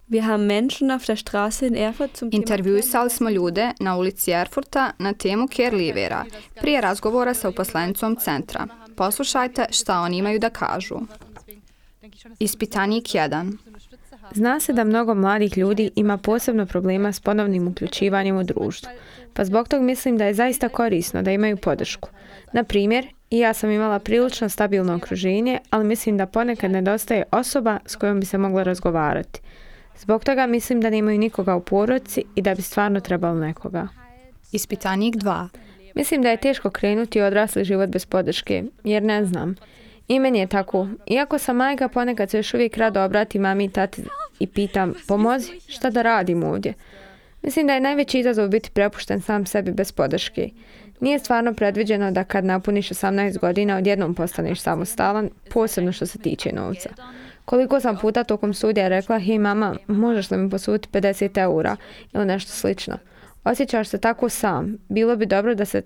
Wir haben Menschen auf der Straße in Erfurt zum Intervjuisali smo ljude na ulici Erfurta na temu care-leavera, prije razgovora sa uposlenicom centra. Poslušajte šta oni imaju da kažu. Ispitanik 1. Zna se da mnogo mladih ljudi ima posebno problema s ponovnim uključivanjem u društvo, pa zbog tog mislim da je zaista korisno da imaju podršku. Na primjer, i ja sam imala prilično stabilno okruženje, ali mislim da ponekad nedostaje osoba s kojom bi se moglo razgovarati. Zbog toga mislim da nemaju nikoga u porodici i da bi stvarno trebalo nekoga. Ispitanik 2. Mislim da je teško krenuti odrasli život bez podrške, jer ne znam. I meni je tako. Iako sam majka, ponekad se još uvijek rado obrati mami i tati i pitam, pomozi, šta da radim ovdje? Mislim da je najveći izazov biti prepušten sam sebi bez podrške. Nije stvarno predviđeno da kad napuniš 18 godina odjednom postaneš samostalan, posebno što se tiče novca. Koliko sam puta tokom studija rekla, hej mama, možeš li mi posuditi 50 eura ili nešto slično. Osjećaš se tako sam. Bilo bi dobro da se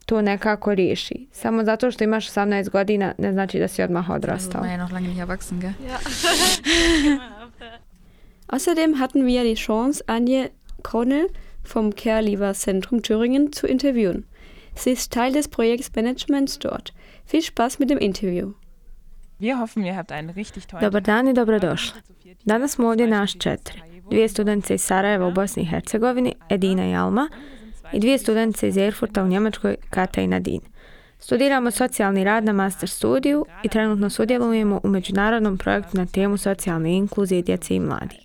to nekako riješi. Samo zato što imaš 18 godina ne znači da si odmah odrastao. Außerdem hatten wir die Chance, Anje Kronel vom Care-Leaver Zentrum Thüringen zu interviewen. Sie ist Teil des Projektmanagements dort. Viel Spaß mit dem Interview. Dobar dan i dobrodošli. Danas smo ovdje naš 4. 2 studentice iz Sarajeva u Bosni i Hercegovini, Edina i Alma, i 2 studentice iz Erfurta u Njemačkoj, Kata i Nadine. Studiramo socijalni rad na master studiju i trenutno sudjelujemo u međunarodnom projektu na temu socijalne inkluzije djece i mladih.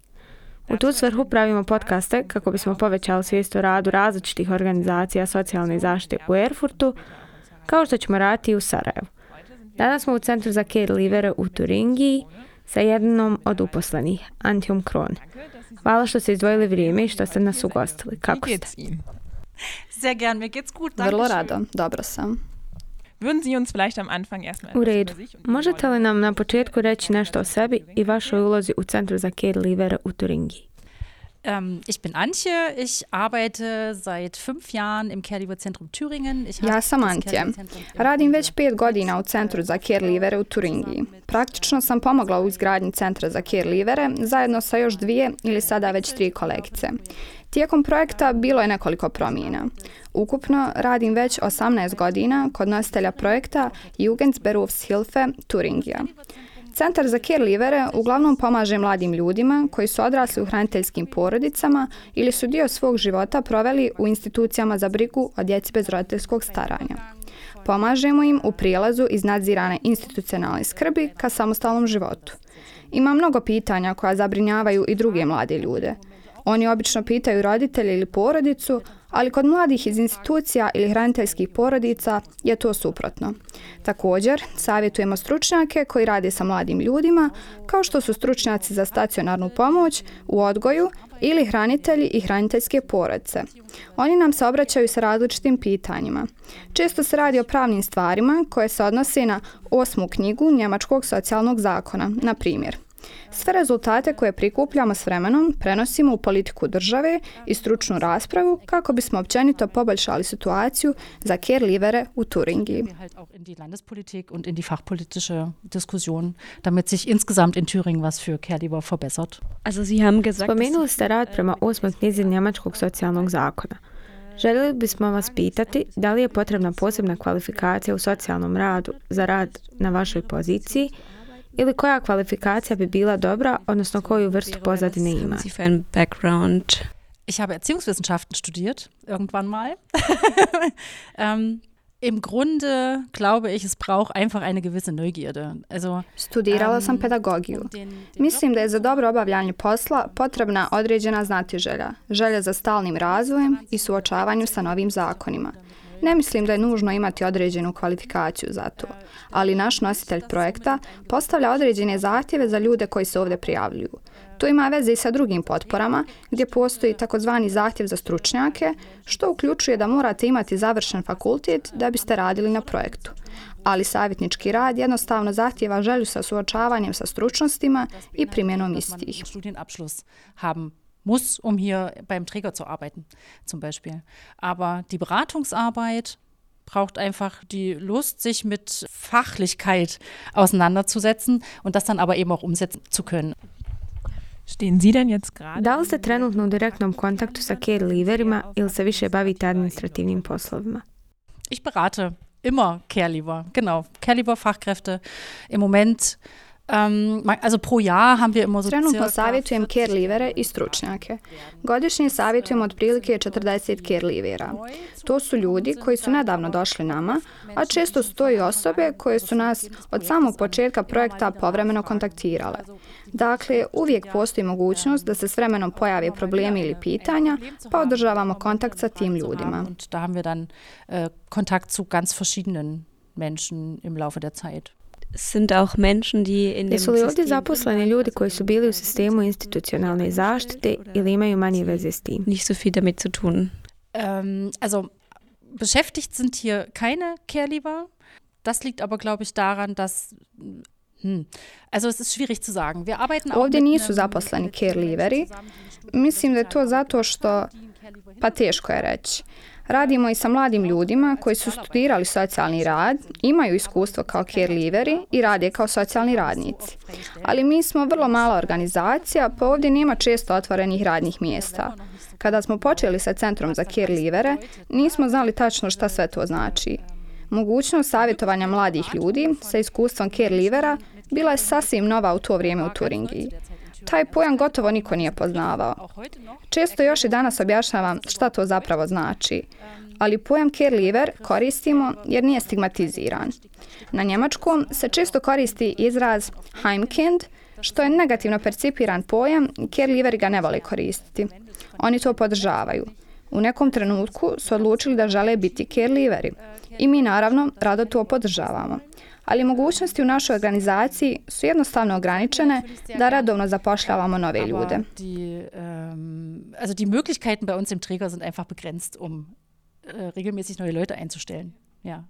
U tu svrhu pravimo podcaste kako bismo povećali svijest o radu različitih organizacija socijalne zaštite u Erfurtu, kao što ćemo raditi i u Sarajevu. Danas smo u Centru za care-leavere u Turingiji sa jednom od uposlenih, Antjom Kron. Hvala što ste izdvojili vrijeme i što ste nas ugostili. Kako ste? Vrlo rado, dobro sam. U redu. Možete li nam na početku reći nešto o sebi i vašoj ulozi u Centru za care-leavere u Turingiji? Ich bin Antje, ich arbeite seit 5 Jahren im Care-Leaver Zentrum Thüringen. Ja sam Antje. Radim već 5 godina u Centru za care-leavere u Turingiji. Praktično sam pomogla u izgradnji Centra za care-leavere zajedno sa još 2 ili sada već 3 kolegice. Tijekom projekta bilo je nekoliko promjena. Ukupno radim već 18 godina kod nositelja projekta Jugendberufshilfe Turingija. Centar za care-leavere uglavnom pomaže mladim ljudima koji su odrasli u hraniteljskim porodicama ili su dio svog života proveli u institucijama za brigu o djeci bez roditeljskog staranja. Pomažemo im u prijelazu iz nadzirane institucionalne skrbi ka samostalnom životu. Ima mnogo pitanja koja zabrinjavaju i druge mlade ljude. Oni obično pitaju roditelje ili porodicu, ali kod mladih iz institucija ili hraniteljskih porodica je to suprotno. Također, savjetujemo stručnjake koji rade sa mladim ljudima, kao što su stručnjaci za stacionarnu pomoć u odgoju ili hranitelji i hraniteljske porodice. Oni nam se obraćaju sa različitim pitanjima. Često se radi o pravnim stvarima koje se odnose na 8. knjigu Njemačkog socijalnog zakona, na primjer. Sve rezultate koje prikupljamo s vremenom prenosimo u politiku države i stručnu raspravu kako bismo općenito poboljšali situaciju za care-leavere u Turingiji. In die Landespolitik und in die fachpolitische Diskussion, damit sich insgesamt in Thüringen was für care-leaver verbessert. Spomenuli ste rad prema 8. knjizi Njemačkog socijalnog zakona. Željeli bismo vas pitati da li je potrebna posebna kvalifikacija u socijalnom radu za rad na vašoj poziciji ili koja kvalifikacija bi bila dobra, odnosno koju vrstu pozadine ima? Ich habe Erziehungswissenschaften studiert, irgendwann mal. Im Grunde glaube ich, es braucht einfach eine gewisse Neugierde. Studirala sam pedagogiju. Mislim da je za dobro obavljanje posla potrebna određena znatiželja, želja za stalnim razvojem i suočavanju sa novim zakonima. Ne mislim da je nužno imati određenu kvalifikaciju za to, ali naš nositelj projekta postavlja određene zahtjeve za ljude koji se ovdje prijavljuju. To ima veze i sa drugim potporama, gdje postoji takozvani zahtjev za stručnjake, što uključuje da morate imati završen fakultet da biste radili na projektu. Ali savjetnički rad jednostavno zahtjeva želju sa suočavanjem sa stručnostima i primjenom istih. Muss, um hier beim Träger zu arbeiten, zum Beispiel. Aber die Beratungsarbeit braucht einfach die Lust, sich mit Fachlichkeit auseinanderzusetzen und das dann aber eben auch umsetzen zu können. Da li ste trenutno u direktnom kontaktu sa care leaverima ili se više bavite administrativnim poslovima? Ich berate immer Care Leaver, genau, Care Leaver Fachkräfte. Im Moment, also pro Jahr haben wir immer so Trenutno savjetujem care leavere i stručnjake. Godišnje savjetujem otprilike 40 care leavera. To su ljudi koji su nedavno došli nama, a često su to i osobe koje su nas od samog početka projekta povremeno kontaktirale. Dakle, uvijek postoji mogućnost da se s vremenom pojave problemi ili pitanja, pa održavamo kontakt sa tim ljudima. Da haben wir dann Kontakt zu ganz verschiedenen Menschen im Laufe der Zeit. Sind auch Menschen die in dem Jesu li ovdje zaposleni ljudi koji su bili u sistemu institucionalne zaštite ili imaju manje veze s tim? nicht so viel damit zu tun? Also beschäftigt sind hier keine Care Leaver. Das liegt aber, glaube ich, daran, dass also es ist schwierig zu sagen. Wir arbeiten auch Ovdje nisu zaposleni care leaveri. Mislim da je to zato što, pa teško je reći. Radimo i sa mladim ljudima koji su studirali socijalni rad, imaju iskustvo kao care leaveri i rade kao socijalni radnici. Ali mi smo vrlo mala organizacija, pa ovdje nema često otvorenih radnih mjesta. Kada smo počeli sa Centrom za care leavere, nismo znali tačno šta sve to znači. Mogućnost savjetovanja mladih ljudi sa iskustvom care leavera bila je sasvim nova u to vrijeme u Turingiji. Taj pojam gotovo niko nije poznavao. Često još i danas objašnjavam šta to zapravo znači, ali pojam care leaver koristimo jer nije stigmatiziran. Na njemačkom se često koristi izraz Heimkind, što je negativno percipiran pojam i care leaveri ga ne vole koristiti. Oni to podržavaju. U nekom trenutku su odlučili da žele biti care leaveri i mi naravno rado to podržavamo. Ali mogućnosti u našoj organizaciji su jednostavno ograničene da redovno zapošljavamo nove ljude. Also die Möglichkeiten bei uns im Träger sind einfach begrenzt, regelmäßig neue Leute einzustellen. Ja.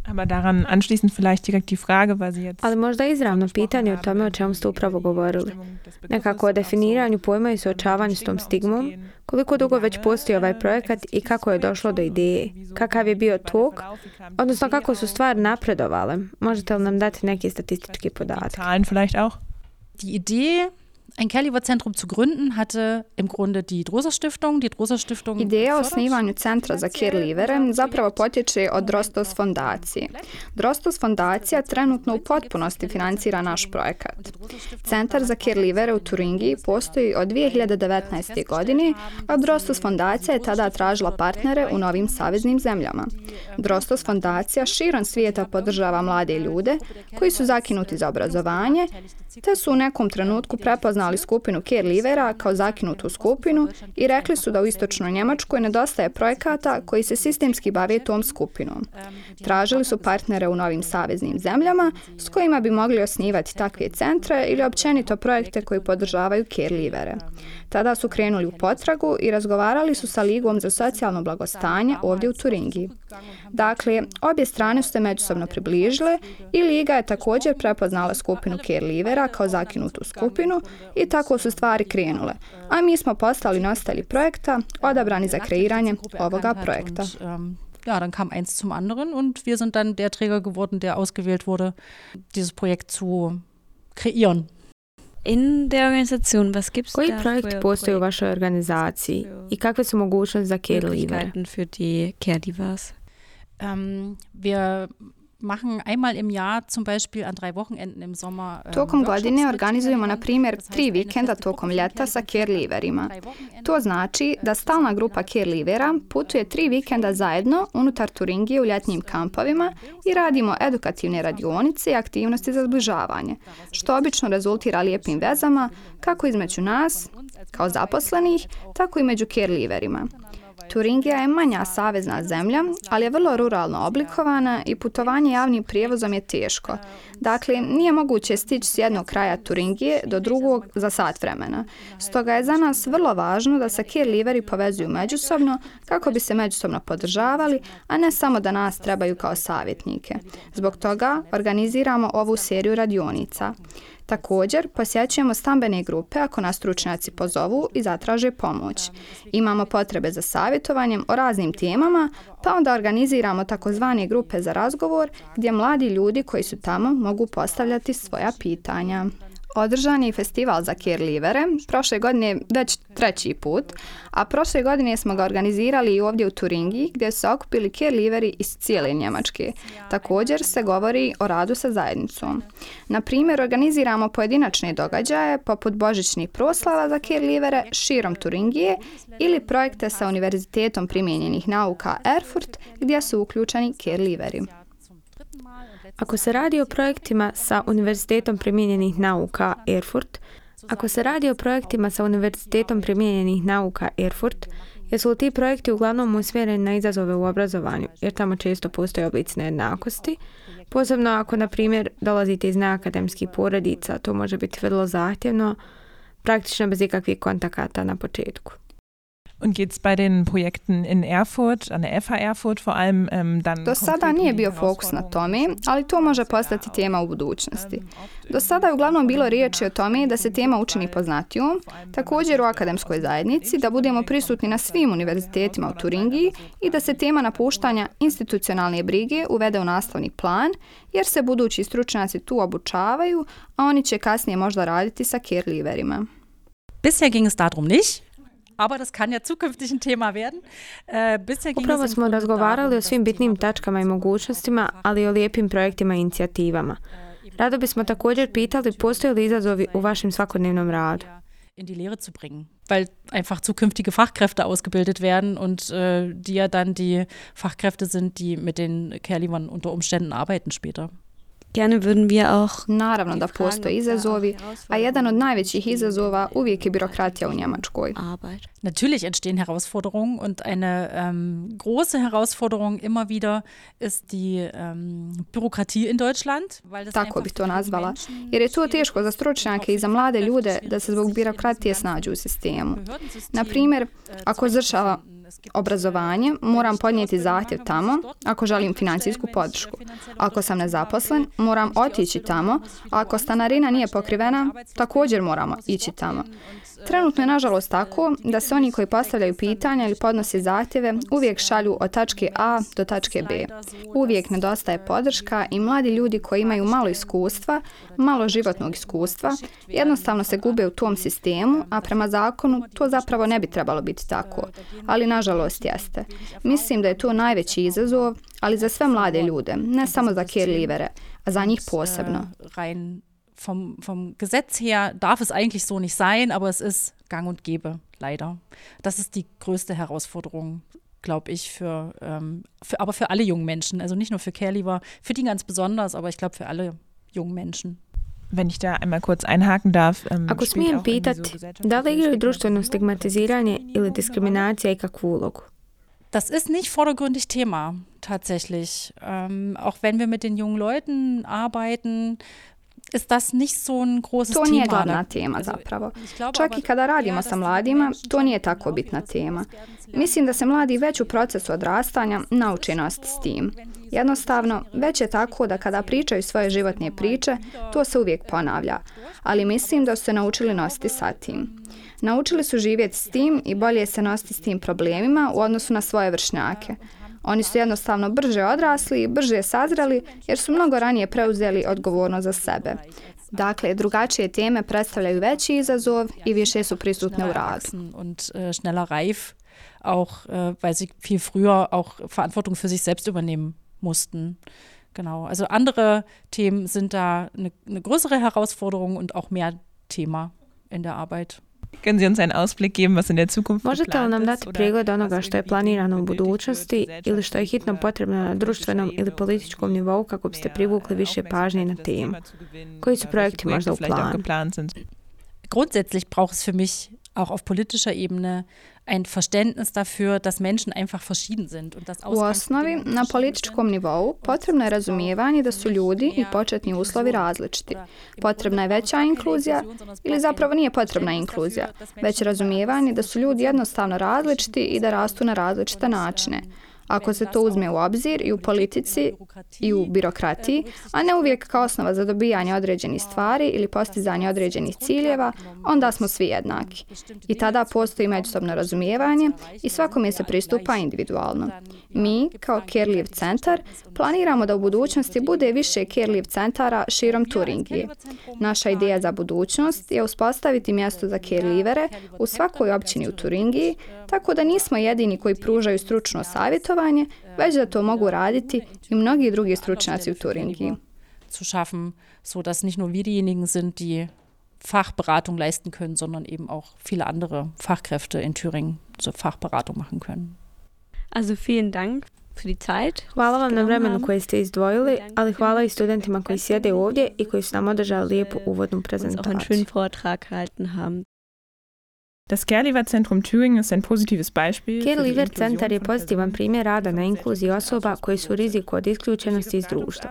Aber daran anschließend vielleicht direkt die Frage, weil Sie jetzt... Ali možda izravno pitanje o tome o čemu ste upravo govorili. Nekako o definiranju pojma i suočavanju s tom stigmom, koliko dugo već postoji ovaj projekat i kako je došlo do ideje, kakav je bio tok, odnosno kako su stvari napredovale. Možete li nam dati neki statistički podatak? Zahlen vielleicht auch? Die Idee, ein Care Leaver Zentrum zu gründen, hatte im Grunde die Droser Stiftung. Die Droser Stiftung Ideja o osnivanju Centra za care leavere zapravo potječe od Drostos fondacije. Drostos fondacija trenutno u potpunosti financira naš projekat. Centar za care leavere u Turingiji postoji od 2019. godine, a Drostos fondacija je tada tražila partnere u novim saveznim zemljama. Drostos fondacija širom svijeta podržava mlade ljude koji su zakinuti za obrazovanje, te su u nekom trenutku prepoznali skupinu care leavera kao zakinutu skupinu i rekli su da u istočnoj Njemačkoj nedostaje projekata koji se sistemski bave tom skupinom. Tražili su partnere u novim saveznim zemljama s kojima bi mogli osnivati takve centre ili općenito projekte koji podržavaju care leavere. Tada su krenuli u potragu i razgovarali su sa Ligom za socijalno blagostanje ovdje u Turingiji. Dakle, obje strane su se međusobno približile i Liga je također prepoznala skupinu care leavera kao zakinutu skupinu i tako su stvari krenule. A mi smo postali nositelji projekta, odabrani za kreiranje ovoga projekta. Ja, dann kam eins zum anderen und wir sind dann der Träger geworden, der ausgewählt wurde, dieses Projekt zu kreieren. In der Organisation, was gibt's Koji da projekt für postoji u vašoj organizaciji i kakve su mogućnosti za care leavere? Möglichkeiten für die care leavers? Wir machen einmal im Jahr zum Beispiel an 3 Wochenenden im Sommer. Tokom godine organizujemo, na primjer, 3 vikenda tokom ljeta sa care leaverima. To znači da stalna grupa care leavera putuje 3 vikenda zajedno unutar Turingije u ljetnim kampovima i radimo edukativne radionice i aktivnosti za zbližavanje, što obično rezultira lijepim vezama kako između nas, kao zaposlenih, tako i među care leaverima. Turingija je manja savezna zemlja, ali je vrlo ruralno oblikovana i putovanje javnim prijevozom je teško. Dakle, nije moguće stići s jednog kraja Turingije do drugog za sat vremena. Stoga je za nas vrlo važno da se care leaveri povezuju međusobno kako bi se međusobno podržavali, a ne samo da nas trebaju kao savjetnike. Zbog toga organiziramo ovu seriju radionica. Također, posjećujemo stambene grupe ako nas stručnjaci pozovu i zatraže pomoć. Imamo potrebe za savjetovanjem o raznim temama, pa onda organiziramo takozvane grupe za razgovor gdje mladi ljudi koji su tamo mogu postavljati svoja pitanja. Održan je i festival za care-livere, prošle godine već 3. put, a prošle godine smo ga organizirali i ovdje u Turingiji gdje su se okupili care-liveri iz cijele Njemačke. Također se govori o radu sa zajednicom. Na primjer, organiziramo pojedinačne događaje poput božićnih proslava za care-livere širom Turingije ili projekte sa Univerzitetom primijenjenih nauka Erfurt gdje su uključeni care-liveri. Ako se radi o projektima sa Univerzitetom primijenjenih nauka Erfurt, jesu li ti projekti uglavnom usmjereni na izazove u obrazovanju, jer tamo često postoje oblici nejednakosti, posebno ako, na primjer, dolazite iz neakademskih porodica, to može biti vrlo zahtjevno, praktično bez ikakvih kontakata na početku. Und geht's bei den Projekten in Erfurt, an der FH Erfurt vor allem dann... Do sada nije bio fokus na tome, ali to može postati tema u budućnosti. Do sada je uglavnom bilo riječi o tome da se tema učini poznatijom, također u akademskoj zajednici, da budemo prisutni na svim univerzitetima u Turingiji i da se tema napuštanja institucionalne brige uvede u nastavni plan, jer se budući stručnjaci tu obučavaju, a oni će kasnije možda raditi sa care-liverima. Bisher ging es darum nicht. Aber das kann ja zukünftig ein Thema werden. Upravo smo razgovarali o svim bitnim tačkama i mogućnostima, ali i o lijepim projektima i inicijativama. Rado bismo također pitali postoje li izazovi u vašem svakodnevnom radu. In die Lehre zu bringen, weil einfach zukünftige Fachkräfte ausgebildet werden und die ja dann die Fachkräfte sind, die mit den care-livern unter Umständen arbeiten später. Gerne würden wir auch... Naravno da postoje izazovi, a jedan od najvećih izazova uvijek je birokratija u Njemačkoj. Natürlich entstehen Herausforderungen und eine große Herausforderung immer wieder ist die Bürokratie in Deutschland. Tako bih to nazvala, jer je to teško za stručnjake i za mlade ljude da se zbog birokratije snađu u sistemu. Na primjer, ako završava obrazovanje, moram podnijeti zahtjev tamo ako želim financijsku podršku. Ako sam nezaposlen, moram otići tamo, a ako stanarina nije pokrivena, također moramo ići tamo. Trenutno je nažalost tako da se oni koji postavljaju pitanja ili podnose zahtjeve uvijek šalju od tačke A do tačke B. Uvijek nedostaje podrška i mladi ljudi koji imaju malo iskustva, malo životnog iskustva, jednostavno se gube u tom sistemu, a prema zakonu to zapravo ne bi trebalo biti tako. Ali nažalost jeste. Mislim da je to najveći izazov, ali za sve mlade ljude, ne samo za care-livere, a za njih posebno. Vom Gesetz her darf es eigentlich so nicht sein, aber es ist gang und gäbe, leider. Das ist die größte Herausforderung, glaube ich, aber für alle jungen Menschen. Also nicht nur für care-liver, für die ganz besonders, aber ich glaube für alle jungen Menschen. Wenn ich da einmal kurz einhaken darf. Ako smijem pitati, da li igraju društveno stigmatiziranje ili diskriminacija ikakvu ulogu? Das ist nicht vordergründig Thema, tatsächlich. Auch wenn wir mit den jungen Leuten arbeiten, ist das nicht so ein großes Thema. To nije glavna tema zapravo. Čak i kada radimo sa mladima, to nije tako bitna tema. Mislim da se mladi već u procesu odrastanja nauče nositi s tim. Jednostavno, već je tako da kada pričaju svoje životne priče, to se uvijek ponavlja. Ali mislim da su se naučili nositi sa tim. Naučili su živjeti s tim i bolje se nositi s tim problemima u odnosu na svoje vršnjake. Oni su jednostavno brže odrasli i brže sazreli jer su mnogo ranije preuzeli odgovornost za sebe. Dakle, drugačije teme predstavljaju veći izazov i više su prisutne u radu. Und schneller reif, auch weil sie viel früher auch Verantwortung für sich selbst übernehmen mussten. Genau. Also andere Themen sind da eine größere Herausforderung und auch mehr Thema in der Arbeit. Können Sie uns einen Ausblick geben, was in der Zukunft Možete li geplant nam ist? dati pregled onoga što je planirano u budućnosti ili što je hitno potrebno na društvenom ili političkom nivou kako biste privukli više pažnje na temu? Koji su projekti možda u planu? Grundsätzlich braucht es für mich auch auf politischer Ebene ein Verständnis dafür, dass Menschen einfach verschieden sind. Und das U osnovi, na političkom nivou, potrebno je razumijevanje da su ljudi i početni uslovi različiti. Potrebna je veća inkluzija ili zapravo nije potrebna inkluzija, već razumijevanje da su ljudi jednostavno različiti i da rastu na različite načine. ako se to uzme u obzir i u politici i u birokratiji, a ne uvijek kao osnova za dobijanje određenih stvari ili postizanje određenih ciljeva, onda smo svi jednaki. I tada postoji međusobno razumijevanje i svakome se pristupa individualno. Mi, kao Care Live centar, planiramo da u budućnosti bude više Care Live centara širom Turingije. Naša ideja za budućnost je uspostaviti mjesto za care livere u svakoj općini u Turingiji, tako da nismo jedini koji pružaju stručno savjetovanje, već da to mogu raditi i mnogi drugi stručnjaci u Turingiji. Zu schaffen, so dass nicht nur wir diejenigen sind, die Fachberatung leisten können, sondern eben auch viele andere Fachkräfte in Thüringen so Fachberatung machen können. Also vielen Dank für die Zeit. Hvala vam na vremenu koje ste izdvojili, ali hvala i studentima koji sjede ovdje i koji su nam održali lijepu uvodnu prezentaciju. Auch einen schönen Vortrag gehalten haben. Das Care Live Zentrum Thüringen ist ein positives Beispiel. Care Live centar je pozitivan primjer rada na inkluziji osoba koji su u riziku od isključenosti iz društva.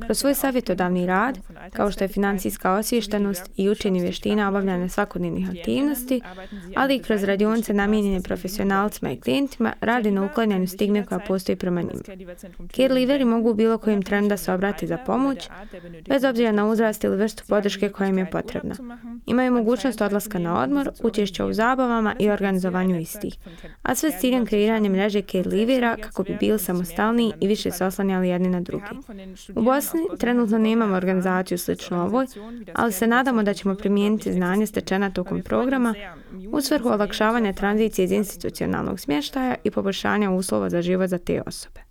Kroz svoj savjetodavni rad, kao što je financijska osviještenost i učenje vještina obavljanja svakodnevnih aktivnosti, ali i kroz radionice namijenjene profesionalcima i klijentima, radi na uklanjanju stigme koja postoji prema njima. Care liveri mogu u bilo kojem trenu da se obrati za pomoć, bez obzira na uzrast ili vrstu podrške koja im je potrebna. Imaju mogućnost odlaska na odmor, učešća u zabavama i organizovanju istih, a sve s ciljem kreiranja mreže care livera kako bi bili samostalniji i više se oslanjali jedni na drugi. U Bosni trenutno nemamo organizaciju slično ovoj, ali se nadamo da ćemo primijeniti znanje stečena tokom programa u svrhu olakšavanja tranzicije iz institucionalnog smještaja i poboljšanja uslova za život za te osobe.